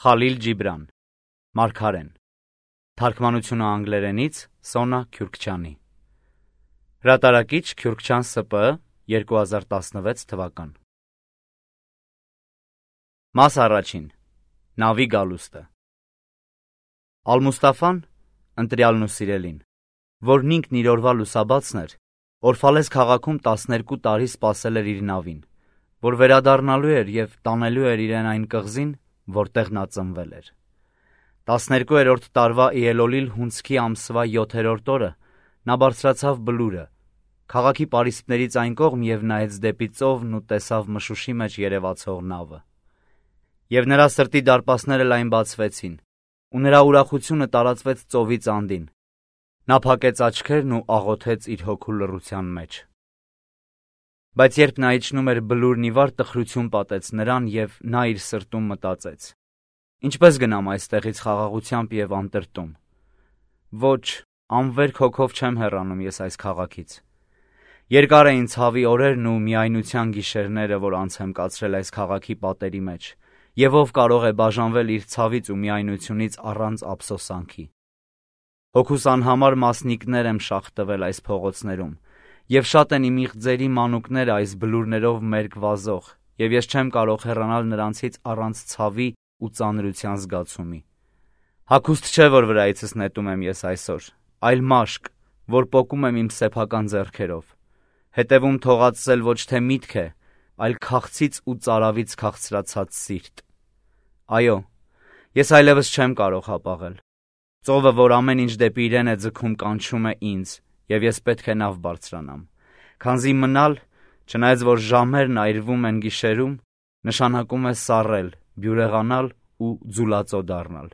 Խալիլ Ջիբրան, Մարգարեն, թարգմանությունը անգլերենից Սոնա Քյուրքչյանի, հրատարակիչ Քյուրքչյան ՍՊԸ 2016 թվական։ Մաս առաջին, նավի գալուստը։ Ալ-Մուստաֆան, ընտրյալն ու սիրելին, որն ինքն իր օրվա լուսաբացն էր, Օրֆալես քաղաքում 12 տարի սպասել էր իր նավին, որ վերադառնալու էր և տանելու էր իրեն այն կղզին, որտեղ նա ծնվել էր։ 12-րդ տարվա Իելոլիլ հունձքի ամսվա 7-րդ օրը նա բարձրացավ բլուրը, քաղաքի պարիսպներից այն կողմ և նայեց դեպի ծովն ու տեսավ մշուշի մեջ երևացող նավը։ Եվ նրա սրտի դարպասները լայն բացվեցին, ու նրա ուրախությունը տարածվեց ծովից անդին։ Նա փակեց աչքերն ու աղոթեց իր հոգու լռության մեջ։ Բայց երբ նա իջնում էր բլուրն ի վար, տխրություն պատեց նրան, և նա իր սրտում մտածեց. ինչպես գնամ այստեղից խաղաղությամբ և անտրտում։ Ոչ, անվերք հոգով չեմ հեռանում ես այս քաղաքից։ Երկար էին ցավի օրերն ու միայնության գիշերները, որ անց եմ կացրել այս քաղաքի պատերի մեջ, և ով կարող է բաժանվել իր ցավից ու միայնությունից առանց ափսոսանքի։ Հոգուս անհամար մասնիկներ եմ շաղ տվել այս փողոցներում, և շատ են իմ իղձերի մանուկները այս բլուրներով մերկ վազող, և ես չեմ կարող հեռանալ նրանցից առանց ցավի ու ծանրության զգացումի։ Հագուստ չէ, որ վրայիցս նետում եմ ես այսօր, այլ մաշկ, որ պոկում եմ իմ սեփական ձեռքերով, հետևում թողածել ոչ թե միտք է, այլ քաղցից ու ծարավից քաղցրացած սիրտ։ Այո, ես այլևս չեմ կարող հապաղել։ Ծովը, որ ամեն ինչ դեպի իրեն է ձգում, կանչում է ինձ, և ես պետք է նավ բարձրանամ, քանզի մնալ, չնայած որ ժամերն այրվում են գիշերում, նշանակում է սառել, բյուրեղանալ ու ձուլածո դառնալ։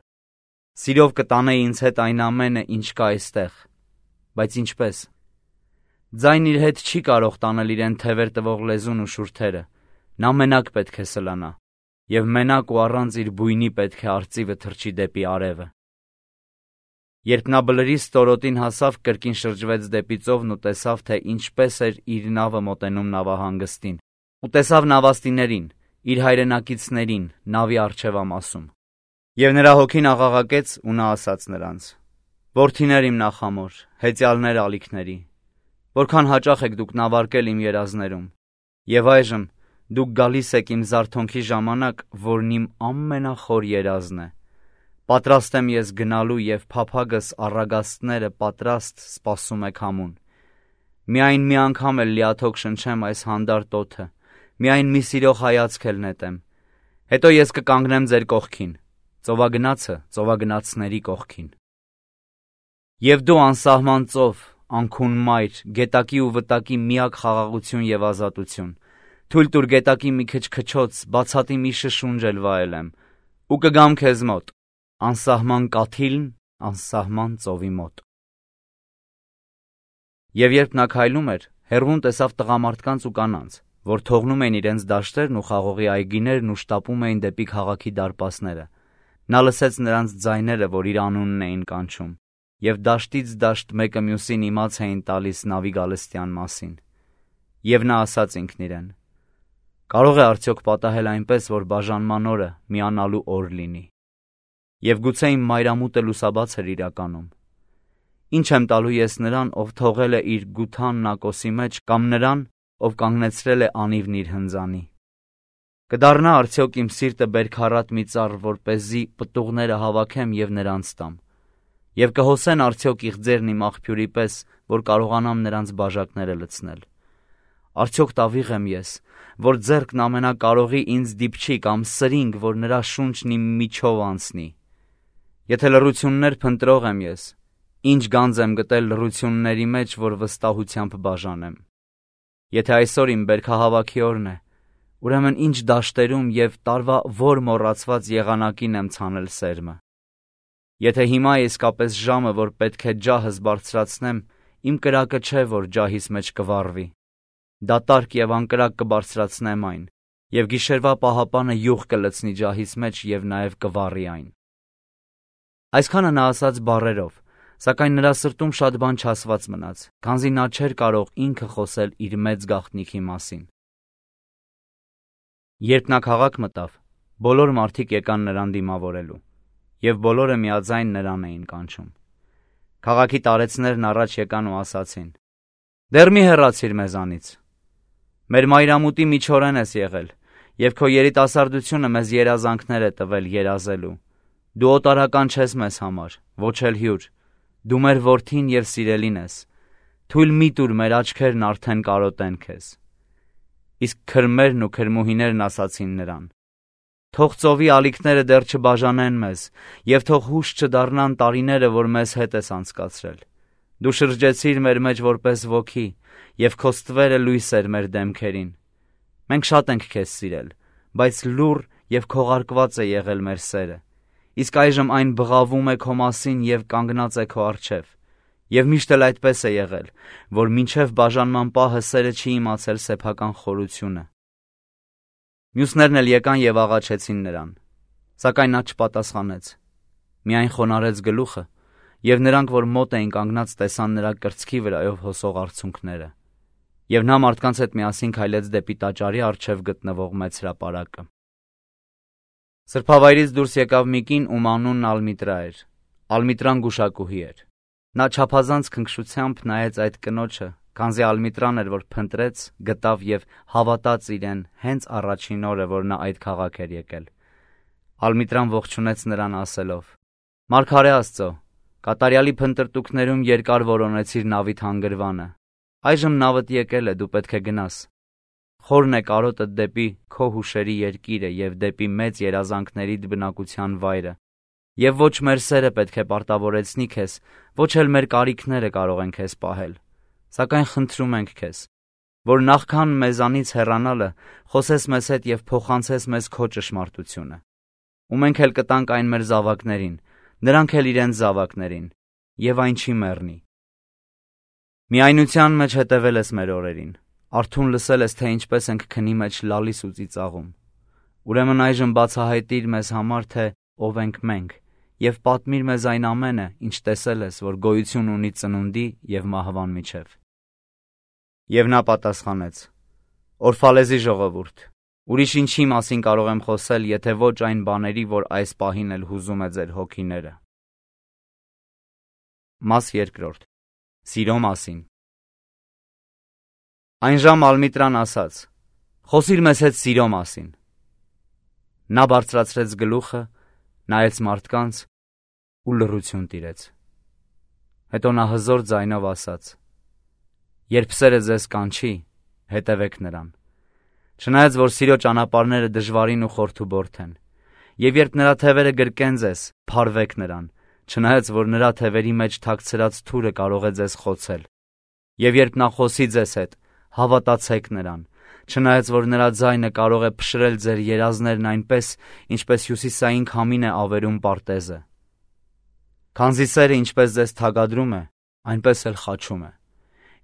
Սիրով կտանեի ինձ հետ այն ամենը, ինչ կա այստեղ, բայց ինչպես։ Ձայն իր հետ չի կարող տանել իրեն թևեր տվող լեզուն ու շուրթերը, նա մենակ պետք է սլանա, և մենակ ու առանց իր բույնի պետք է արծիվը թռչի դեպի արևը։ Երբ նա բլրի ստորոտին հասավ, կրկին շրջվեց դեպի ծովն ու տեսավ, թե ինչպես էր իր նավը մոտենում նավահանգստին, ու տեսավ նավաստիներին, իր հայրենակիցներին, նավի առջևամասում։ Եվ նրա հոգին աղաղակեց, ու նա ասաց նրանց. «Որդիներ իմ նախամոր, հեծյալներ ալիքների, որքան հաճախ եք դուք նավարկել իմ երազներում, և այժմ դուք գալիս եք իմ զարթոնքի ժամանակ, որն իմ ամենախոր երազն է։ Պատրաստ եմ ես գնալու, և փափագս առագաստները պատրաստ սպասում եք համուն։ Միայն մի անգամ էլ լիաթոք շնչեմ այս հանդարտ օդը, միայն մի սիրող հայացք էլ նետեմ, հետո ես կկանգնեմ ձեր կողքին, ծովագնացը ծովագնացների կողքին։ Եվ դու անսահման ծով, անքուն մայր, գետակի ու վտակի միակ խաղաղություն և ազատություն, թույլ տուր գետակի մի քիչ քչոց, բացատի մի շշունջ էլ վայելեմ, ու կգամ քեզ մոտ, անսահման կաթիլն անսահման ծովի մոտ»։ Եվ երբ նա քայլում էր, հեռվում տեսավ տղամարդկանց ու կանանց, որ թողնում էին իրենց դաշտերն ու խաղողի այգիներն ու շտապում էին դեպի քաղաքի դարպասները։ Նա լսեց նրանց ձայները, որ իր անունն էին կանչում, և դաշտից դաշտ մեկը մյուսին իմաց էին տալիս նավի գալստյան մասին։ Եվ նա ասաց ինքն իրեն. «Կարող է արդյոք պատահել այնպես, որ բաժանման օրը միանալու օր լինի։ Եվ գուցե իմ մայրամուտը լուսաբաց էր իրականում։ Ինչ եմ տալու ես նրան, ով թողել է իր գութանն ակոսի մեջ, կամ նրան, ով կանգնեցրել է անիվն իր հնձանի։ Կդառնա արդյոք իմ սիրտը բերքառատ մի ծառ, որպեսզի պտուղները հավաքեմ և նրանց տամ, և կհոսեն արդյոք իղձերն իմ աղբյուրի պես, որ կարողանամ նրանց բաժակները լցնել։ Արդյոք տավիղ եմ ես, որ ձեռքն ամենակարողի ինձ դիպչի, կամ սրինգ, որ նրա շունչն իմ միջով անցնի։ Եթե լռություններ փնտրող եմ ես, ինչ գանձ եմ գտել լռությունների մեջ, որ վստահությամբ բաժանեմ։ Եթե այսօր իմ բերքահավաքի օրն է, ուրեմն ինչ դաշտերում և տարվա որ մոռացված եղանակին եմ ցանել սերմը։ Եթե հիմա է իսկապես ժամը, որ պետք է ջահս բարձրացնեմ, իմ կրակը չէ, որ ջահիս մեջ կվառվի։ Դատարկ և անկրակ կբարձրացնեմ այն, և գիշերվա պահապանը յուղ կլցնի ջահիս մեջ և նաև կվառի այն»։ Այսքանը նա ասաց բառերով, սակայն նրա սրտում շատ բան չասված մնաց, քանզի նա չէր կարող ինքը խոսել իր մեծ գաղտնիքի մասին։ Երբ նա քաղաք մտավ, Բոլոր մարդիկ եկան նրան դիմավորելու, և բոլորը միաձայն նրան էին կանչում։ Քաղաքի տարեցներն առաջ եկան ու ասացին. «Դեռ մի հեռացիր մեզանից։ Մեր մայրամուտի միջօրեն ես եղել, և քո երիտասարդությունը մեզ երազանքներ է տվել երազելու։ Դու օտարական չես մեզ համար, ոչ էլ հյուր, դու մեր որդին և սիրելին ես, թույլ մի տուր մեր աչքերն արդեն կարոտեն քեզ»։ Իսկ քրմերն ու քրմուհիներն ասացին նրան. «Թող ծովի ալիքները դեռ չբաժանեն մեզ, և թող հուշ չդառնան տարիները, որ մեզ հետ ես անցկացրել։ Դու շրջեցիր մեր մեջ որպես ոգի, և քո ստվերը լույս էր մեր դեմքերին։ Մենք շատ ենք քեզ սիրել, բայց լուռ և քողարկված է եղել մեր սերը, իսկ այժմ այն բղավում է քո մասին և կանգնած է քո առջև։ Եվ միշտ էլ այդպես է եղել, որ մինչև բաժանման պահը սերը չի իմացել սեփական խորությունը»։ Մյուսներն էլ եկան և աղաչեցին նրան, սակայն նա չպատասխանեց, միայն խոնարհեց գլուխը, և նրանք, որ մոտ էին կանգնած, տեսան նրա կրծքի վրայով հոսող արցունքները։ Եվ նա մարդկանց հետ միասին քայլեց դեպի տաճարի առջև գտնվող մեծ հրապարակը։ Սրբավայրից դուրս եկավ մի կին, ում անունն Ալմիտրա էր։ Ալմիտրան գուշակուհի էր։ Նա չափազանց քնքշությամբ նայեց այդ կնոջը, քանզի Ալմիտրան էր, որ փնտրեց, գտավ և հավատաց իրեն հենց առաջին օրը, որ նա այդ քաղաք էր եկել։ Ալմիտրան ողջունեց նրան ասելով. «Մարգարե Աստծո, կատարյալի փնտրտուքներում երկար որոնեցիր նավիդ հանգրվանը։ Այժմ նավդ եկել է, դու պետք է գնաս։ Խորն է կարոտդ դեպի քո հուշերի երկիրը և դեպի մեծ երազանքներիդ բնակության վայրը, և ոչ մեր սերը պետք է պարտավորեցնի քեզ, ոչ էլ մեր կարիքները կարող են քեզ պահել։ Սակայն խնդրում ենք քեզ, որ նախքան մեզանից հեռանալը խոսես մեզ հետ և փոխանցես մեզ քո ճշմարտությունը։ Ու մենք էլ կտանք այն մեր զավակներին, նրանք էլ իրենց զավակներին, և այն չի մեռնի։ Միայնության մեջ հետևել ես մեր օրերին, արթուն լսել ես, թե ինչպես ենք քնի մեջ լալիս ու ծիծաղում։ Ուրեմն այժմ բացահայտիր մեզ համար, թե ով ենք մենք, և պատմիր մեզ այն ամենը, ինչ տեսել ես, որ գոյություն ունի ծնունդի և մահվան միջև»։ Եվ նա պատասխանեց. «Օրֆալեզի ժողովուրդ, ուրիշ ինչի մասին կարող եմ խոսել, եթե ոչ այն բաների, որ այս պահին էլ հուզում է ձեր հոգիները»։ Մաս երկրորդ. Սիրո մասին։ Այն ժամ Ալմիտրան ասաց. «Խոսիր մեզ հետ սիրո մասին»։ Նա բարձրացրեց գլուխը, նայեց մարդկանց ու լռություն տիրեց։ Հետո նա հզոր ձայնով ասաց. «Երբ սերը ձեզ կանչի, հետևեք նրան։ Չնայած որ սիրո ճանապարհները դժվարին ու խորթուբորթ են, և երբ նրա թևերը գրկեն ձեզ, փարվեք նրան, չնայած որ նրա թևերի մեջ թաքցրած թուրը կարող է ձեզ խոցել։ Եվ երբ նա խոսի ձեզ հետ, հավատացեք նրան, չնայած որ նրա ձայնը կարող է փշրել ձեր երազներն այնպես, ինչպես հյուսիսային քամին է ավերում պարտեզը։ Քանզի սերը ինչպես ձեզ թագադրում է, այնպես էլ խաչում է։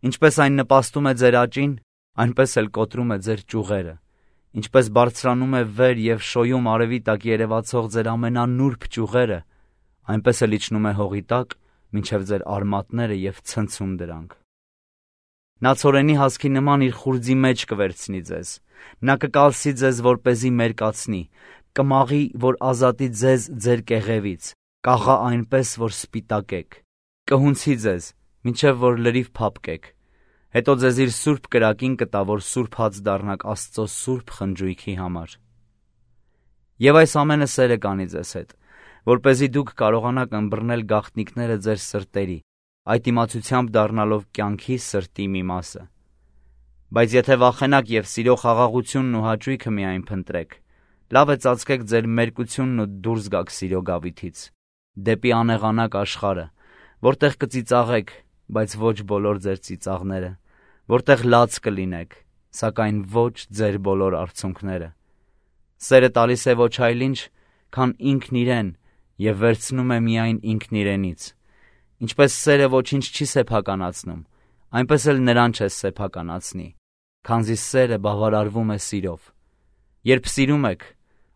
Ինչպես այն նպաստում է ձեր աճին, այնպես էլ կոտրում է ձեր ճյուղերը։ Ինչպես բարձրանում է վեր և շոյում արևի տակ երևացող ձեր ամենանուրբ ճյուղերը, այնպես էլ իջնում է հողի տակ, մինչև ձեր արմատները և ցնցում դրանք։ Նա ցորենի հասկի նման իր խուրձի մեջ կվերցնի ձեզ, նա կկալսի ձեզ, որպեսզի մերկացնի, կմաղի, որ ազատի ձեզ ձեր կեղևից, կաղա այնպես, որ սպիտակեք, կհունցի ձեզ, մինչև որ լրիվ փափկեք, հետո ձեզ իր սուրբ կրակին կտա, որ սուրբ հաց դառնաք Աստծո սուրբ խնջույքի համար։ Եվ այս ամենը սերը կանի ձեզ հետ, որպեսզի դուք կարողանաք ըմբռնել գաղտնիքները ձեր սրտերի, այդ իմացությամբ դառնալով կյանքի սրտի մի մասը։ Բայց եթե վախենաք և սիրո խաղաղությունն ու հաճույքը միայն փնտրեք, լավ է ծածկեք ձեր մերկությունն ու դուրս գաք սիրո գավիթից, դեպի անեղանակ աշխարհը, որտեղ կծիծաղեք, բայց ոչ բոլոր ձեր ծիծաղները, որտեղ լաց կլինեք, սակայն ոչ ձեր բոլոր արցունքները։ Սերը տալիս է ոչ այլ ինչ, քան ինքն իրեն և վերցնում է միայն ինքն իրենից։ Ինչպես սերը ոչինչ չի սեփականացնում, այնպես էլ նրան չես սեփականացնի, քանզի սերը բավարարվում է սիրով։ Երբ սիրում եք,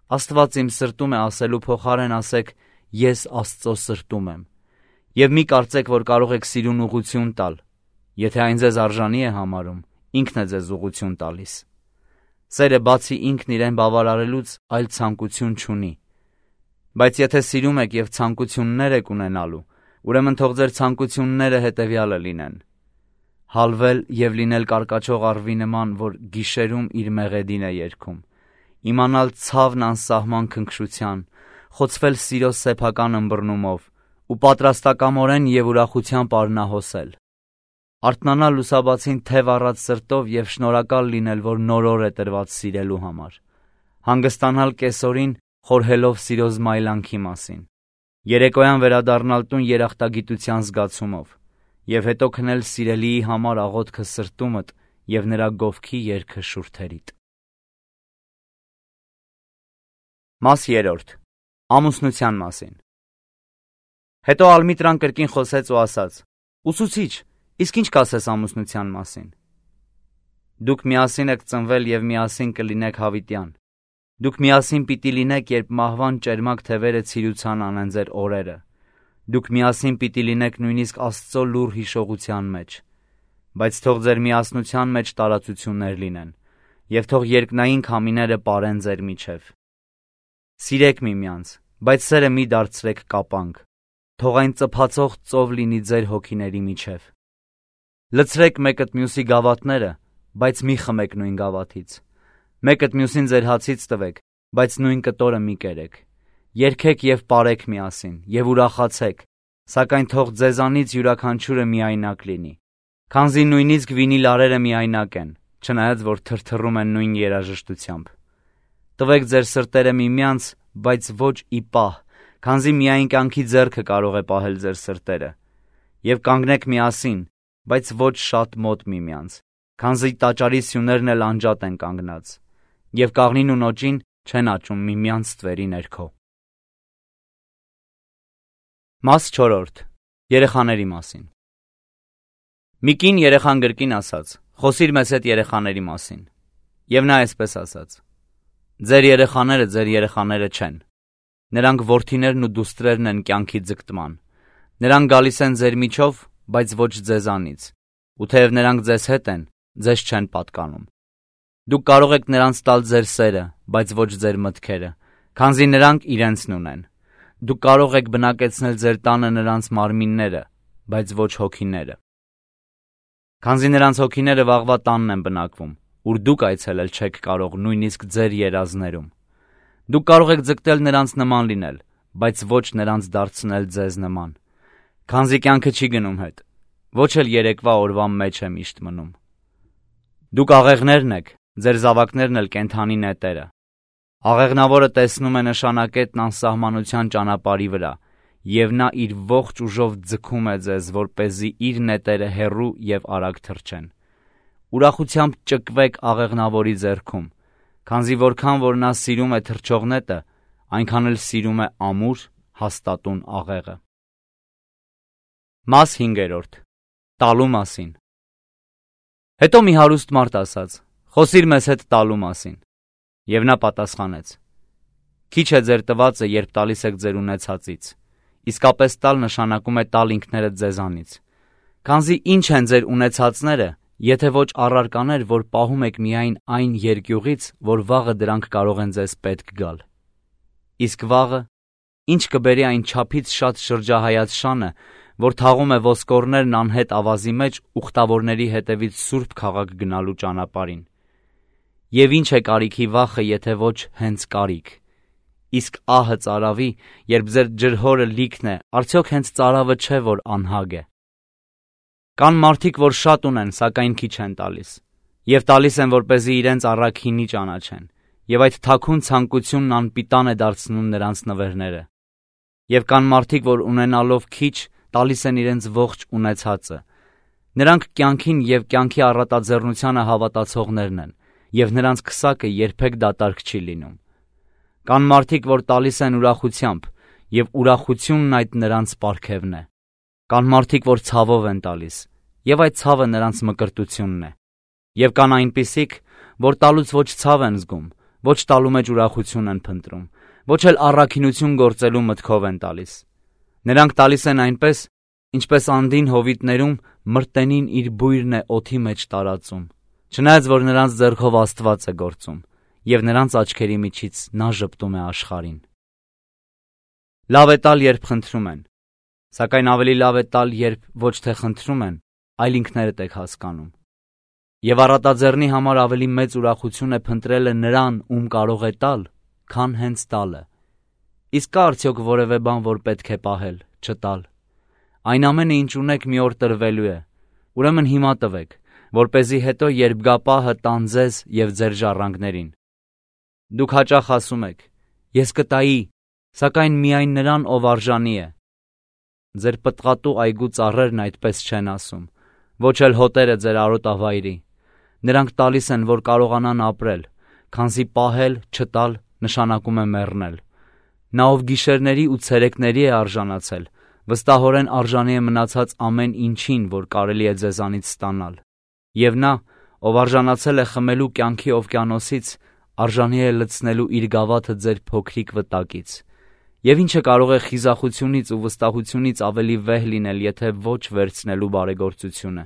Աստված իմ սրտում է ասելու փոխարեն ասեք ես Աստծո սրտում եմ։ Եվ մի կարծեք, որ կարող եք սիրուն ուղղություն տալ։ Եթե այն ձեզ արժանի է համարում, ինքն է ձեզ ուղղություն տալիս։ Սերը բացի ինքն իրեն բավարարելուց այլ ցանկություն չունի։ Բայց եթե սիրում եք և ցանկություններ եք ունենալու, ուրեմն թող ձեր ցանկությունները հետևյալը լինեն. հալվել և լինել կարկաչող առվի նման, որ գիշերում իր մեղեդին է երգում, իմանալ ցավն անսահման քնքշության, խոցվել սիրո սեփական ըմբռնումով ու պատրաստակամորեն և ուրախությամբ արնահոսել, արթնանալ լուսաբացին թև առած սրտով և շնորհակալ լինել, որ նոր օր է տրված սիրելու համար, հանգստանալ կեսօրին խորհելով սիրո զմայլանքի մասին, երեկոյան վերադառնալ տուն երախտագիտության զգացումով և հետո քնել սիրելիի համար աղոթքը սրտումդ և նրա գովքի երգը շուրթերիդ։ Մաս 3. Ամուսնության մասին։ Հետո Ալմիտրան կրկին խոսեց ու ասաց. «Ուսուցիչ, իսկ ինչ կասես ամուսնության մասին»։ Դուք միասին եք ծնվել և միասին կլինեք հավիտյան։ Դուք միասին պիտի լինեք, երբ մահվան ճերմակ թևերը ցիրուցան անեն ձեր օրերը։ Դուք միասին պիտի լինեք նույնիսկ Աստծո լուռ հիշողության մեջ։ Բայց թող ձեր միասնության մեջ տարածություններ լինեն, և թող երկնային քամիները պարեն ձեր միջև։ Սիրեք միմյանց, բայց սերը մի դարձրեք կապանք, թող այն ծփացող ծով լինի ձեր հոգիների միջև։ Լցրեք մեկըդ մյուսի գավաթները, բայց մի խմեք նույն գավաթից։ Մեկըդ մյուսին ձեր հացից տվեք, բայց նույն կտորը մի կերեք։ Երգեք և պարեք միասին, և ուրախացեք, սակայն թող ձեզանից յուրաքանչյուրը միայնակ լինի, քանզի նույնիսկ վինիլարերը միայնակ են, չնայած որ թրթռում են նույն երաժշտությամբ։ Տվեք ձեր սրտերը միմյանց, բայց ոչ ի պահ, քանզի միայն կյանքի ձեռքը կարող է պահել ձեր սրտերը։ Եվ կանգնեք միասին, բայց ոչ շատ մոտ միմյանց, քանզի տաճարի սյուներն էլ անջատ են կանգնած, և կաղնին ու նոճին չեն աճում միմյանց ստվերի ներքո։ Մաս 4. Երեխաների մասին։ Մի կին երեխան գրկին ասաց. «Խոսիր մեզ հետ երեխաների մասին»։ Եվ նա այսպես ասաց. «Ձեր երեխաները ձեր երեխաները չեն։ Նրանք որդիներն ու դուստրերն են կյանքի ձգտման։ Նրանք գալիս են ձեր միջով, բայց ոչ ձեզանից, ու թեև նրանք ձեզ հետ են, ձեզ չեն պատկանում։ Դուք կարող եք նրանց տալ ձեր սերը, բայց ոչ ձեր մտքերը, քանզի նրանք իրենցն ունեն։ Դուք կարող եք բնակեցնել ձեր տանը նրանց մարմինները, բայց ոչ հոգիները։ Քանզի նրանց հոգիները վաղվա տանն են բնակվում, ուր դուք այցելել չեք կարող նույնիսկ ձեր երազներում։ Դուք կարող եք ձգտել նրանց նման լինել, բայց ոչ նրանց դարձնել ձեզ նման, քանզի կյանքը չի գնում հետ, ոչ էլ երեկվա օրվա մեջ է միշտ մնում։ Դուք աղեղներն եք, ձեր զավակներն էլ կենդանի նետերը։ Աղեղնավորը տեսնում է նշանակետն անսահմանության ճանապարհի վրա, և նա իր ողջ ուժով ձգում է ձեզ, որպեսզի իր նետերը հեռու և արագ թռչեն։ Ուրախությամբ ճկվեք աղեղնավորի ձեռքում, քանզի որքան որ նա սիրում է թռչող նետը, այնքան էլ սիրում է ամուր, հաստատուն աղեղը։ Մաս 5. Տալու մասին։ Հետո մի հարուստ մարդ ասաց. «Խոսիր մեզ հետ տալու մասին»։ Եվ նա պատասխանեց. «Քիչ է ձեր տվածը, երբ տալիս եք ձեր ունեցածից, իսկապես տալ նշանակում է տալ ինքներդ ձեզանից։ Քանզի ինչ են ձեր ունեցածները, եթե ոչ առարկաներ, որ պահում եք միայն այն երկյուղից, որ վաղը դրանք կարող են ձեզ պետք գալ։ Իսկ վաղը ինչ կբերի այն չափից շատ շրջահայաց շանը, որ թաղում է ոսկորներն անհետ ավազի մեջ ուխտավորների հետևից սուրբ քաղաք գնալու ճանապարհին։ Եվ ինչ է կարիքի վախը, եթե ոչ հենց կարիք։ Իսկ ահը ծարավի, երբ ձեր ջրհորը լիքն է, արդյոք հենց ծարավը չէ, որ անհագ է։ Կան մարդիկ, որ շատ ունեն, սակայն քիչ են տալիս, և տալիս են, որպեսզի իրենց առաքինի ճանաչեն, և այդ թաքուն ցանկությունն անպիտան է դարձնում նրանց նվերները։ Եվ կան մարդիկ, որ ունենալով քիչ, տալիս են իրենց ողջ ունեցածը։ Նրանք կյանքին և կյանքի առատաձեռնությանը հավատացողներն են, և նրանց քսակը երբեք դատարկ չի լինում։ Կան մարդիկ, որ տալիս են ուրախությամբ, և ուրախությունն այդ նրանց պարգևն է։ Կան մարդիկ, որ ցավով են տալիս, և այդ ցավը նրանց մկրտությունն է։ Եվ կան այնպիսիք, որ տալուց ոչ ցավ են զգում, ոչ տալու մեջ ուրախություն են փնտրում, ոչ էլ առաքինություն գործելու մտքով են տալիս։ Նրանք տալիս են այնպես, ինչպես անդին հովիտներում մրտենին իր բույրն է օդի մեջ տարածում, Չնայած որ նրանց ձեռքով Աստված է գործում, եւ նրանց աչքերի միջից նա ժպտում է աշխարհին։ Լավ է տալ, երբ խնդրում են, սակայն ավելի լավ է տալ, երբ ոչ թե խնդրում են, այլ ինքներդ եք հասկանում։ Եվ առատաձեռնի համար ավելի մեծ ուրախություն է փնտրելը նրան, ում կարող է տալ, քան հենց տալը։ Իսկ կա արդյոք որևէ բան, որ պետք է պահել, չտալ։ Այն ամենը, ինչ ունեք, մի օր տրվելու է, ուրեմն հիմա տվեք, որպեսզի հետո երբ գա պահը տան ձեզ և ձեր ժառանգներին։ Դուք հաճախ ասում եք. ես կտայի, սակայն միայն նրան, ով արժանի է։ Ձեր պտղատու այգու ծառերն այդպես չեն ասում, ոչ էլ հոտերը ձեր արոտավայրի։ Նրանք տալիս են, որ կարողանան ապրել, քանզի պահել, չտալ նշանակում է մեռնել։ Նա, ով գիշերների ու ցերեկների է արժանացել, վստահորեն արժանի է մնացած ամեն ինչին, որ կարելի է ձեզանից ստանալ։ Եվ նա, ով արժանացել է խմելու կյանքի օվկիանոսից, արժանի է լցնելու իր գավաթը ձեր փոքրիկ վտակից։ Եվ ինչը կարող է խիզախությունից ու վստահությունից ավելի վեհ լինել, եթե ոչ վերցնելու բարեգործությունը։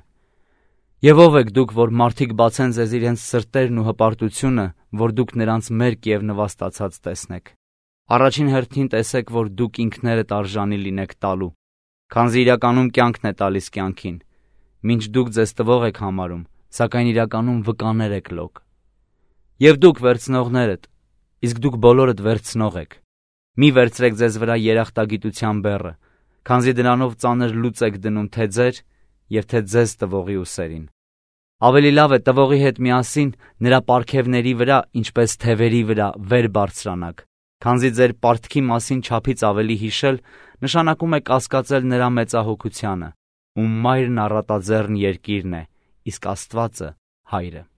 Եվ ով եք դուք, որ մարդիկ բացեն ձեզ իրենց սրտերն ու հպարտությունը, որ դուք նրանց մերկ և նվաստացած տեսնեք։ Առաջին հերթին տեսեք, որ դուք ինքներդ արժանի լինեք տալու, քանզի իրականում կյանքն է տալիս կյանքին, մինչ դուք ձեզ տվող եք համարում, սակայն իրականում վկաներ եք լոկ։ Եվ դուք վերցնողներդ, իսկ դուք բոլորդ վերցնող եք։ Մի վերցրեք ձեզ վրա երախտագիտության բեռը, քանզի դրանով ծանր լուծ եք դնում թե ձեր և թե ձեզ տվողի ուսերին։ Ավելի լավ է տվողի հետ միասին նրա պարգևների վրա, ինչպես թևերի վրա, վեր բարձրանաք, քանզի ձեր պարտքի մասին չափից ավելի հիշել նշանակում է կասկածել նրա մեծահոգությանը, ում մայրն առատաձեռն երկիրն է, իսկ Աստվածը՝ Հայրը։